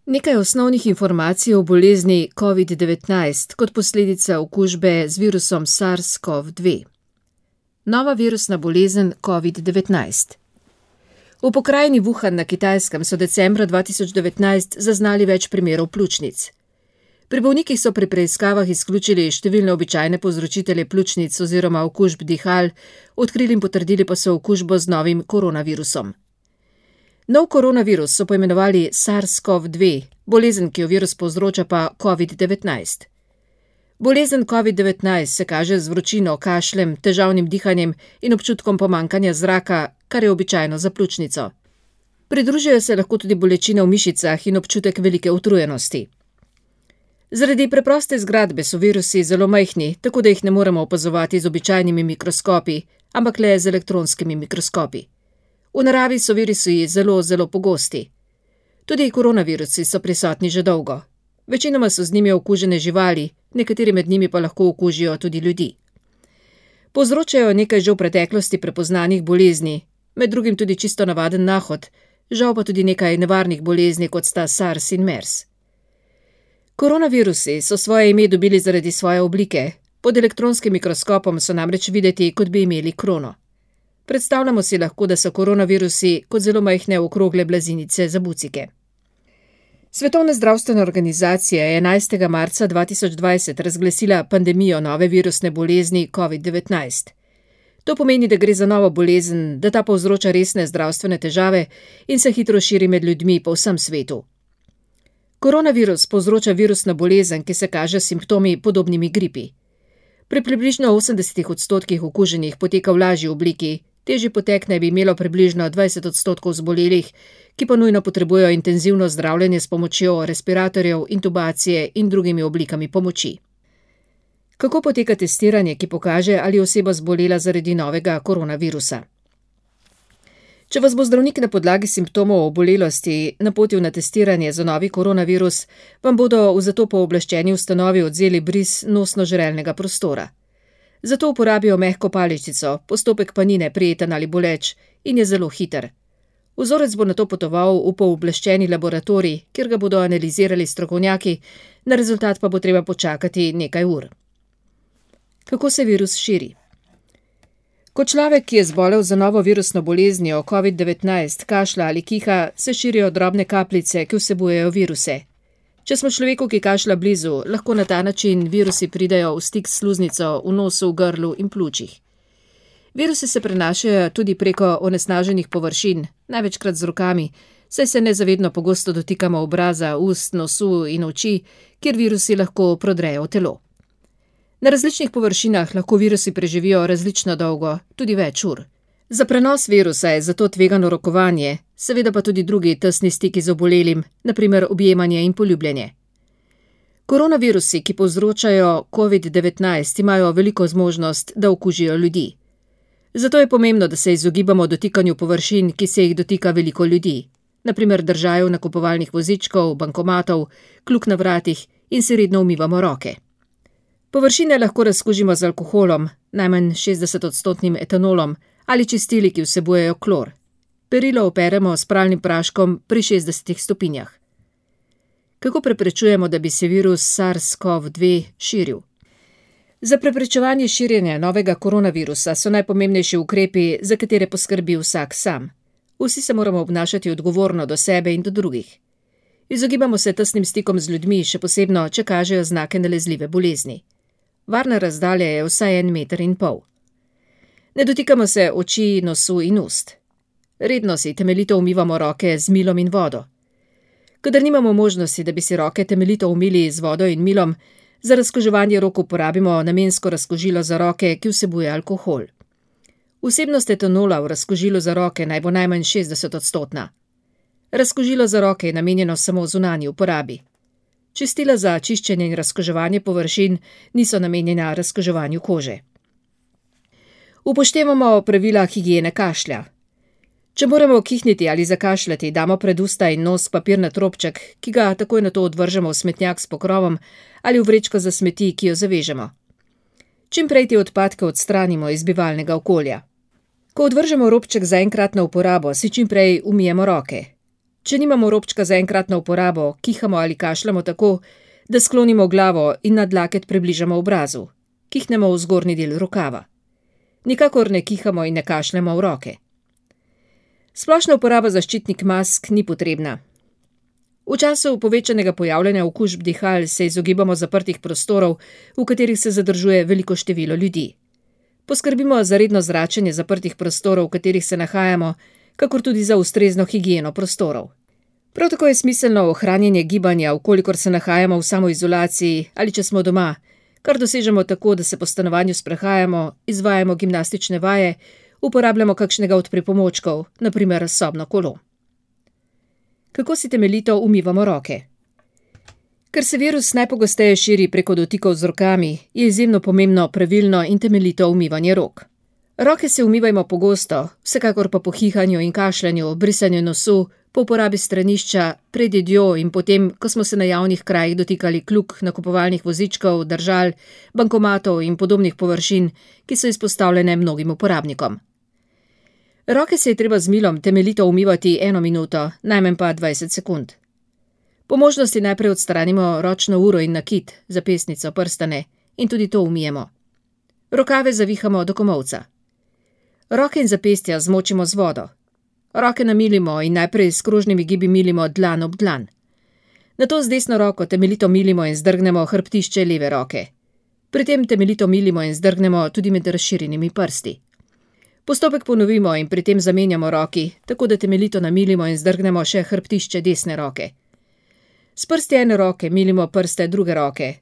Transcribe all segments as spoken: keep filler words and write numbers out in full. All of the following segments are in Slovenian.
Nekaj osnovnih informacij o bolezni covid devetnajst kot posledica okužbe z virusom SARS CoV dve. Nova virusna bolezen covid devetnajst. V pokrajini Wuhan na Kitajskem so decembra dva tisoč devetnajst zaznali več primerov pljučnic. Pri bolnikih so pri preiskavah izključili številne običajne povzročitelje pljučnic oziroma okužb dihal, odkrili in potrdili pa so okužbo z novim koronavirusom. Nov koronavirus so poimenovali SARS CoV dve, bolezen, ki jo virus povzroča, pa covid devetnajst. Bolezen covid devetnajst se kaže z vročino, kašljem, težavnim dihanjem in občutkom pomanjkanja zraka, kar je običajno za pljučnico. Pridružijo se lahko tudi bolečine v mišicah in občutek velike utrujenosti. Zaradi preproste zgradbe so virusi zelo majhni, tako da jih ne moremo opazovati z običajnimi mikroskopi, ampak le z elektronskimi mikroskopi. V naravi so virusi zelo, zelo pogosti. Tudi koronavirusi so prisotni že dolgo. Večinoma so z njimi okužene živali, nekateri med njimi pa lahko okužijo tudi ljudi. Povzročajo nekaj že v preteklosti prepoznanih bolezni, med drugim tudi čisto navaden nahod, žal pa tudi nekaj nevarnih bolezni, kot sta SARS in MERS. Koronavirusi so svoje ime dobili zaradi svoje oblike. Pod elektronskim mikroskopom so namreč videti, kot bi imeli krono. Predstavljamo si lahko, da so koronavirusi kot zelo majhne okrogle blazinice za bucike. Svetovna zdravstvena organizacija je enajstega marca dva tisoč dvajset razglasila pandemijo nove virusne bolezni covid devetnajst. To pomeni, da gre za novo bolezen, da ta povzroča resne zdravstvene težave in se hitro širi med ljudmi po vsem svetu. Koronavirus povzroča virusna bolezen, ki se kaže s simptomi podobnimi gripi. Pri približno osemdesetih odstotkih okuženih poteka v lažji obliki, težji potek naj bi imelo približno dvajset odstotkov zbolelih, ki pa nujno potrebujejo intenzivno zdravljenje s pomočjo respiratorjev, intubacije in drugimi oblikami pomoči. Kako poteka testiranje, ki pokaže, ali je oseba zbolela zaradi novega koronavirusa? Če vas bo zdravnik na podlagi simptomov obolelosti napotil na testiranje za novi koronavirus, vam bodo v zato pooblaščeni ustanovi odvzeli bris nosno-žrelnega prostora. Zato uporabijo mehko paličico, postopek pa ni neprijeten ali boleč in je zelo hiter. Vzorec bo nato potoval v pooblaščeni laboratorij, kjer ga bodo analizirali strokovnjaki, na rezultat pa bo treba počakati nekaj ur. Kako se virus širi? Ko človek, ki je zbolel za novo virusno boleznijo covid devetnajst, kašlja ali kiha, se širijo drobne kapljice, ki vsebujejo viruse. Če smo človeku, ki kašlja blizu, lahko na ta način virusi pridejo v stik s sluznico, v nosu, v grlu in pljučih. Virusi se prenašajo tudi preko onesnaženih površin, največkrat z rokami, saj se nezavedno pogosto dotikamo obraza, ust, nosu in oči, kjer virusi lahko prodrejo v telo. Na različnih površinah lahko virusi preživijo različno dolgo, tudi več ur. Za prenos virusa je zato tvegano rokovanje, seveda pa tudi drugi tesni stiki z obolelim, na primer objemanje in poljubljenje. Koronavirusi, ki povzročajo covid devetnajst, imajo veliko zmožnost, da okužijo ljudi. Zato je pomembno, da se izogibamo dotikanju površin, ki se jih dotika veliko ljudi, na primer držajev nakupovalnih vozičkov, bankomatov, kljuk na vratih in si redno umivamo roke. Površine lahko razkužimo z alkoholom, najmanj šestdesetodstotnim etanolom ali čistili, ki vsebujejo klor. Perilo operemo s pralnim praškom pri šestdesetih stopinjah. Kako preprečujemo, da bi se virus SARS CoV dve širil? Za preprečevanje širjenja novega koronavirusa so najpomembnejši ukrepi, za katere poskrbi vsak sam. Vsi se moramo obnašati odgovorno do sebe in do drugih. Izogibamo se tesnim stikom z ljudmi, še posebno, če kažejo znake nalezljive bolezni. Varna razdalja je vsaj en meter in pol. Ne dotikamo se oči, nosu in ust. Redno si temeljito umivamo roke z milom in vodo. Kadar nimamo možnosti, da bi si roke temeljito umili z vodo in milom, za razkuževanje rok uporabimo namensko razkužilo za roke, ki vsebuje alkohol. Vsebnost etanola v razkužilu za roke naj bo najmanj šestdeset odstotna. Razkužilo za roke je namenjeno samo zunanji uporabi. Čistila za čiščenje in razkuževanje površin niso namenjena razkuževanju kože. Upoštevamo pravila higiene kašlja. Če moramo kihniti ali zakašljati, damo pred usta in nos papirnat robček, ki ga takoj nato odvržemo v smetnjak s pokrovom ali v vrečko za smeti, ki jo zavežemo. Čim prej te odpadke odstranimo iz bivalnega okolja. Ko odvržemo robček za enkratno uporabo, si čim prej umijemo roke. Če nimamo robčka za enkratno uporabo, kihamo ali kašljamo tako, da sklonimo glavo in nadlaket približamo obrazu. Kihnemo v zgornji del rokava. Nikakor ne kihamo in ne kašljamo v roke. Splošna uporaba zaščitnih mask ni potrebna. V času povečanega pojavljanja okužb dihal se izogibamo zaprtih prostorov, v katerih se zadržuje veliko število ljudi. Poskrbimo za redno zračenje zaprtih prostorov, v katerih se nahajamo, kakor tudi za ustrezno higieno prostorov. Prav tako je smiselno ohranjanje gibanja, vkolikor se nahajamo v samoizolaciji ali če smo doma, kar dosežemo tako, da se po stanovanju sprehajamo, izvajamo gimnastične vaje, uporabljamo kakšnega od pripomočkov, na primer sobno kolo. Kako si temeljito umivamo roke? Ker se virus najpogosteje širi preko dotikov z rokami, je izjemno pomembno pravilno in temeljito umivanje rok. Roke se umivajmo pogosto, vsekakor pa po hihanju in kašljanju, brisanju nosu, po uporabi stranišča, pred jedjo in potem, ko smo se na javnih krajih dotikali kljuk, nakupovalnih vozičkov, držal, bankomatov in podobnih površin, ki so izpostavljene mnogim uporabnikom. Roke se je treba z milom temeljito umivati eno minuto, najmanj pa dvajset sekund. Po možnosti najprej odstranimo ročno uro in nakit, zapestnico, prstane in tudi to umijemo. Rokave zavihamo do komolca. Roke in zapestja zmočimo z vodo. Roke namilimo in najprej s krožnimi gibi milimo dlan ob dlan. Nato z desno roko temeljito milimo in zdrgnemo hrbtišče leve roke. Pri tem temeljito milimo in zdrgnemo tudi med razširjenimi prsti. Postopek ponovimo in pri tem zamenjamo roki, tako da temeljito namilimo in zdrgnemo še hrbtišče desne roke. S prsti ene roke milimo prste druge roke.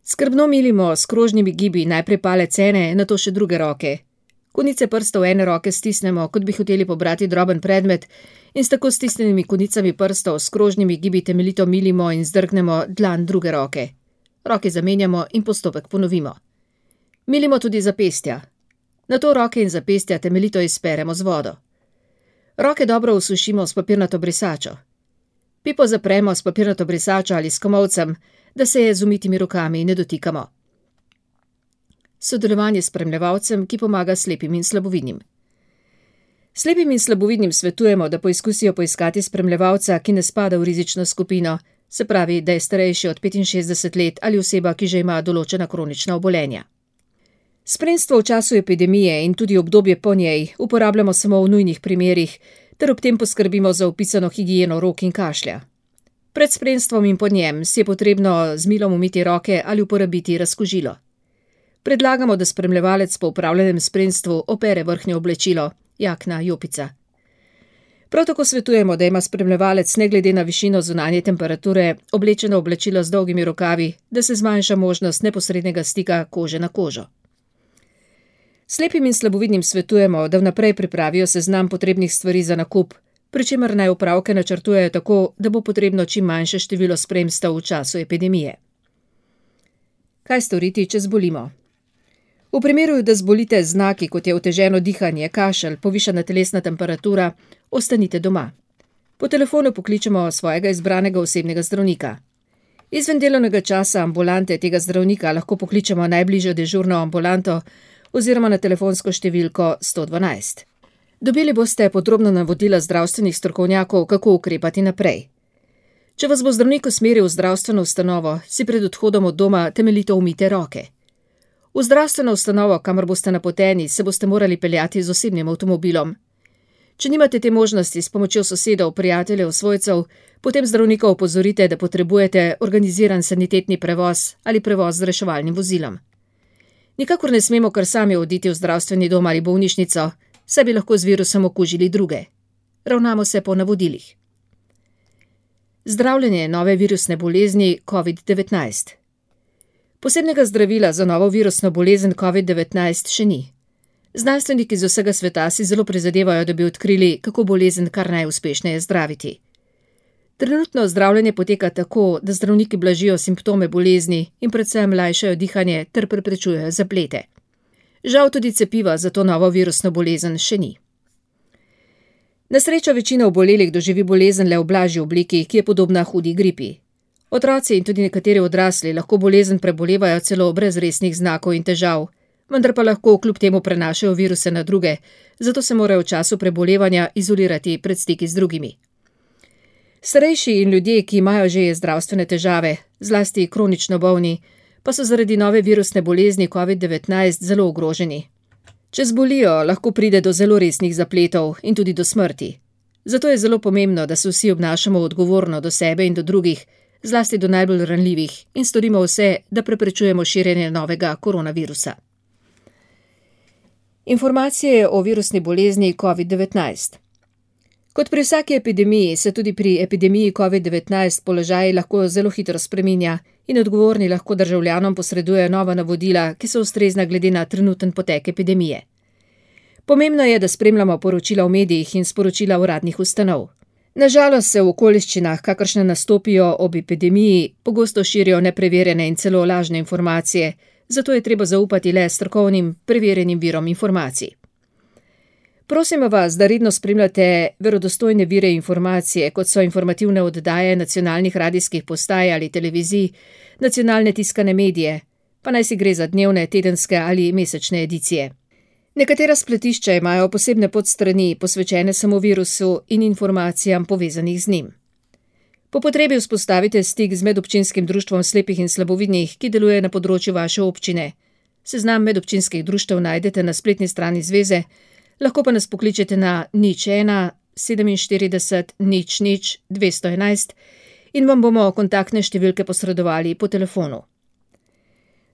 Skrbno milimo s krožnimi gibi najprej palec ene, nato še druge roke. Konice prstov ene roke stisnemo, kot bi hoteli pobrati droben predmet, in s tako stisnjenimi konicami prstov s krožnimi gibi temeljito milimo in zdrgnemo dlan druge roke. Roke zamenjamo in postopek ponovimo. Milimo tudi zapestja. Nato roke in zapestja temeljito izperemo z vodo. Roke dobro usušimo s papirnato brisačo. Pipo zapremo s papirnato brisačo ali s komolcem, da se je z umitimi rokami ne dotikamo. Sodelovanje s spremljevalcem, ki pomaga slepim in slabovidnim. Slepim in slabovidnim svetujemo, da poizkusijo poiskati spremljevalca, ki ne spada v rizično skupino, se pravi, da je starejši od petinšestdeset let ali oseba, ki že ima določena kronična obolenja. Spremstvo v času epidemije in tudi obdobje po njej uporabljamo samo v nujnih primerih, ter ob tem poskrbimo za opisano higieno rok in kašlja. Pred spremstvom in po njem si je potrebno z milom umiti roke ali uporabiti razkužilo. Predlagamo, da spremljevalec po upravljenem spremstvu opere vrhnje oblečilo, jakna, jopica. Prav tako svetujemo, da ima spremljevalec ne glede na višino zunanje temperature oblečeno oblačilo z dolgimi rokavi, da se zmanjša možnost neposrednega stika kože na kožo. Slepim in slabovidnim svetujemo, da vnaprej pripravijo seznam potrebnih stvari za nakup, pri čemer naj opravke načrtujejo tako, da bo potrebno čim manjše število spremstev v času epidemije. Kaj storiti, če zbolimo? V primeru, da zbolite z znaki, kot je oteženo dihanje, kašelj, povišana telesna temperatura, ostanite doma. Po telefonu pokličemo svojega izbranega osebnega zdravnika. Izven delovnega časa ambulante tega zdravnika lahko pokličemo najbližjo dežurno ambulanto oziroma na telefonsko številko sto dvanajst. Dobili boste podrobna navodila zdravstvenih strokovnjakov, kako ukrepati naprej. Če vas bo zdravnik usmeril v zdravstveno ustanovo, si pred odhodom od doma temeljito umijte roke. V zdravstveno ustanovo, kamor boste napoteni, se boste morali peljati z osebnim avtomobilom. Če nimate te možnosti s pomočjo sosedov, prijateljev, svojcev, potem zdravnika opozorite, da potrebujete organiziran sanitetni prevoz ali prevoz z reševalnim vozilom. Nikakor ne smemo kar sami oditi v zdravstveni dom ali bolnišnico, saj bi lahko z virusom okužili druge. Ravnamo se po navodilih. Zdravljenje nove virusne bolezni covid devetnajst. Posebnega zdravila za novo virusno bolezen covid devetnajst še ni. Znanstveniki z vsega sveta si zelo prizadevajo, da bi odkrili, kako bolezen kar najuspešneje zdraviti. Trenutno zdravljenje poteka tako, da zdravniki blažijo simptome bolezni in predvsem lajšajo dihanje ter preprečujejo zaplete. Žal tudi cepiva za to novo virusno bolezen še ni. Na srečo večina obolelih doživi bolezen le v blažji obliki, ki je podobna hudi gripi. Otroci in tudi nekateri odrasli lahko bolezen prebolevajo celo brez resnih znakov in težav, vendar pa lahko kljub temu prenašajo viruse na druge, zato se morajo v času prebolevanja izolirati pred stiki z drugimi. Starejši in ljudje, ki imajo že zdravstvene težave, zlasti kronično bolni, pa so zaradi nove virusne bolezni covid devetnajst zelo ogroženi. Če zbolijo, lahko pride do zelo resnih zapletov in tudi do smrti. Zato je zelo pomembno, da se vsi obnašamo odgovorno do sebe in do drugih, zlasti do najbolj ranljivih, in storimo vse, da preprečujemo širjenje novega koronavirusa. Informacije o virusni bolezni covid devetnajst. Kot pri vsaki epidemiji se tudi pri epidemiji covid devetnajst položaj lahko zelo hitro spreminja in odgovorni lahko državljanom posredujejo nova navodila, ki so ustrezna glede na trenuten potek epidemije. Pomembno je, da spremljamo poročila v medijih in sporočila uradnih ustanov. Nažalost se v okoliščinah, kakršne nastopijo ob epidemiji, pogosto širijo nepreverjene in celo lažne informacije, zato je treba zaupati le strokovnim, preverjenim virom informacij. Prosimo vas, da redno spremljate verodostojne vire informacije, kot so informativne oddaje nacionalnih radijskih postaj ali televizij, nacionalne tiskane medije, pa naj si gre za dnevne, tedenske ali mesečne edicije. Nekatera spletišča imajo posebne podstrani, posvečene samo virusu in informacijam povezanih z njim. Po potrebi vzpostavite stik z medobčinskim društvom slepih in slabovidnih, ki deluje na področju vaše občine. Seznam medobčinskih društev najdete na spletni strani zveze, lahko pa nas pokličete na nič ena sedeminštirideset nič nič dvesto enajst in vam bomo kontaktne številke posredovali po telefonu.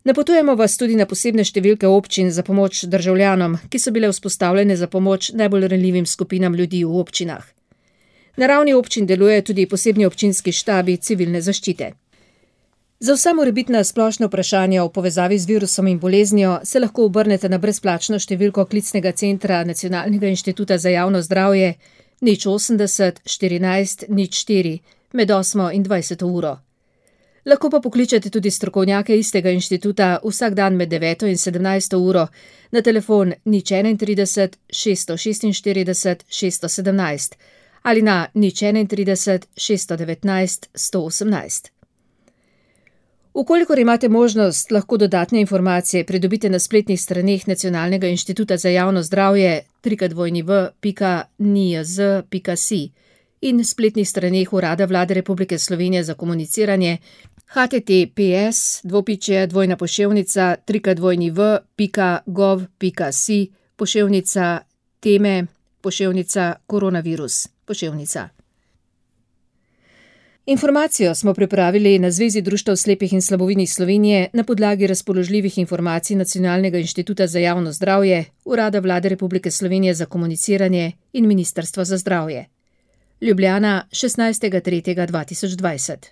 Napotujemo vas tudi na posebne številke občin za pomoč državljanom, ki so bile vzpostavljene za pomoč najbolj ranljivim skupinam ljudi v občinah. Na ravni občin deluje tudi posebni občinski štabi civilne zaščite. Za vsa morebitna splošna vprašanja v povezavi z virusom in boleznijo se lahko obrnete na brezplačno številko klicnega centra Nacionalnega inštituta za javno zdravje nič osemdeset štirinajst nič štiri med osmo in dvajseto uro. Lahko pa pokličete tudi strokovnjake istega inštituta vsak dan med deveto in sedemnajsto uro na telefon nič enaintrideset šeststo šestinštirideset šeststo sedemnajst ali na nič enaintrideset šeststo devetnajst sto osemnajst. Ukolikor imate možnost, lahko dodatne informacije pridobite na spletnih straneh Nacionalnega inštituta za javno zdravje w w w pika n i z pika s i in spletnih straneh Urada Vlade Republike Slovenije za komuniciranje h t t p s dvopičje dvojna poševnica www pika gov pika si poševnica teme poševnica koronavirus poševnica. Informacijo smo pripravili na Zvezi društev slepih in slabovidnih Slovenije na podlagi razpoložljivih informacij Nacionalnega inštituta za javno zdravje, Urada Vlade Republike Slovenije za komuniciranje in Ministrstva za zdravje. Ljubljana, šestnajstega tretjega dva tisoč dvajset.